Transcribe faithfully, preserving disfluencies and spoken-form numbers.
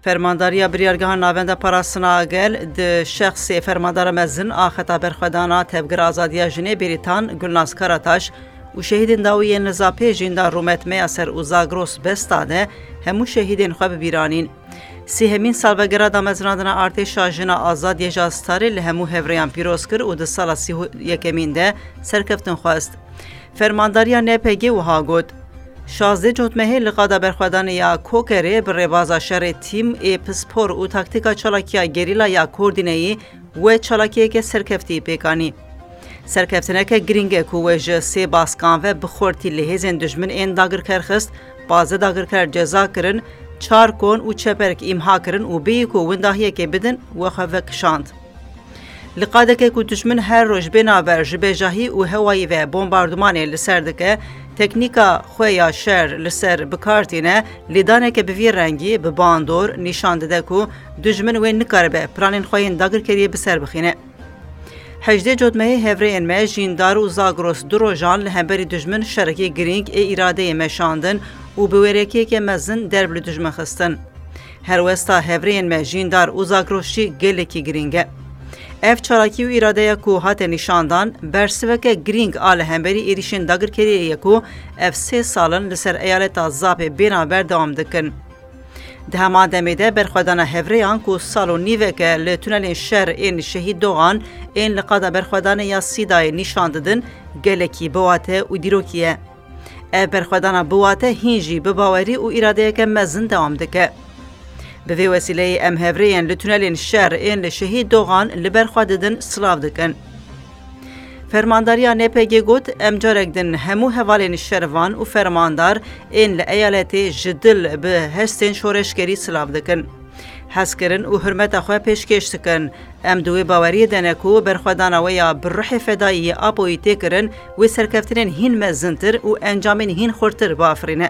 Fermandariya Biryargeha Navenda Parastina Gel di şexsê fermandara mezin a Xeta Berxwedana Tevgera Azadiya Jinê Bêrîtan Gulnaz Karataş û şehîdên dawî yên li Zapê Jîndar Rûmet Meyaser û Zagros Besta de hemû şehîdên xwe bi bîr anîn. Sêhemîn salvegera damezinandina Artêşa Jina Azad Yeja Starê li hemû hevreyan pîroz kir û di sala sî û yekemîn de serkeftin xwest. Fermandariya N P G wiha got, şazdeh Cotmehê li qada berxwedanê ya Kokerê bi rêbaza şerê tîm ê pispor û taktîka çalakiya gerîla ya koordîneyî we çalakiyeke serkeftî pêk anî. Serkeftineke girîng e ku we ji sê baskan ve bi xurtî li hêzên dijmin ên dagirker xist, pazdeh dagirker ceza kirin, çar kon û çeperk îmha kirin û bêyî ku windahiyekê bidin, we xwe vekişand. Li qadeke ku dijmin her roj bê navber ji bejahî û hewayî ve bombardumanê li ser dike, teknîka xwe ya şer li ser bi kar tîne, lêdaneke bi vî rengî, bi bandor, nîşan dide ku dijmin wê nikaribe planên xwe yên dagirkeriyê bi ser bixîne. Hejdê Cotmehê hevrêyên me Jîndar û Zagros du rojan li hemberî dijmin şerekî girîng ê îradeyê meşandin û bi wêrekiyeke mezin derb li dijmin xistin. Helwesta hevrêyên me Jîndar û Zagros jî gelekî girîng e. Ev çalakî û îradeya ku hate nîşandan, bersiveke girîng a li hemberî êrîşên dagirkeriyê ye ku ev sê sal in li ser eyaleta Zapê bênavber dewam dikin. Di heman demê de berxwedana hevrêyan ku sal û nîvek e li tunelên şer ên Şehîd Dogan ên li qada berxwedanê ya Sîdayê nîşan didin, gelekî biwate û dîrokî ye. Ev berxwedana biwate hîn jî bi bawerî û îradeyeke mezin dewam dike. Bi vê wesîleyê em hevrêyên li tunelên şer ên li Şehîd Dogan li ber xwe didin, silav dikin. Fermandariya N P G got, em carek din hemû hevalên şervan û fermandar ên li eyaletê ji dil bi hestên şoreşgerî silav dikin. Hezkirin û hurmeta xwe pêşkêş dikin. Em di wê baweriyê de ne ku berxwedana we ya bi ruhê fedayî yê Apoyî tê kirin, wê serkeftinên hîn mezintir û encamên hîn xurtir biafirîne.